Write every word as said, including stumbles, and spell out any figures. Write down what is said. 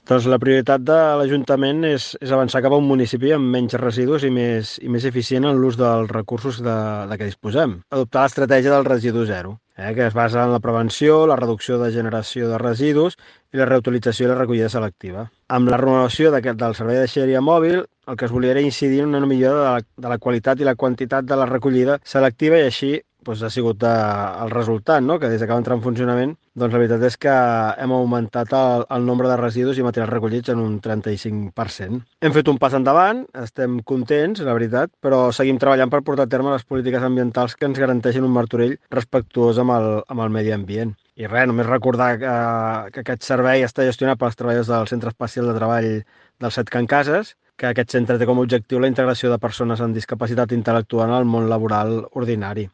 Doncs la prioritat de l'Ajuntament és, és avançar cap a un municipi amb menys residus i més, i més eficient en l'ús dels recursos de, de què disposem. Adoptar l'estratègia del residu zero, eh, que es basa en la prevenció, la reducció de generació de residus i la reutilització i la recollida selectiva. Amb la renovació d'aquest, del servei de deixeria mòbil, el que es volia era incidir en una millora de la, de la qualitat i la quantitat de la recollida selectiva i així doncs, ha sigut eh, el resultat, no? Que des que va entrar en funcionament, doncs la veritat és que hem augmentat el, el nombre de residus i materials recollits en un trenta-cinc per cent. Hem fet un pas endavant, estem contents, la veritat, però seguim treballant per portar a terme les polítiques ambientals que ens garanteixin un Martorell respectuós amb el, amb el medi ambient. I res, només recordar que, que aquest servei està gestionat pels treballadors del Centre Especial de Treball del Set Can Cases, que aquest centre té com a objectiu la integració de persones amb discapacitat intel·lectual en el món laboral ordinari.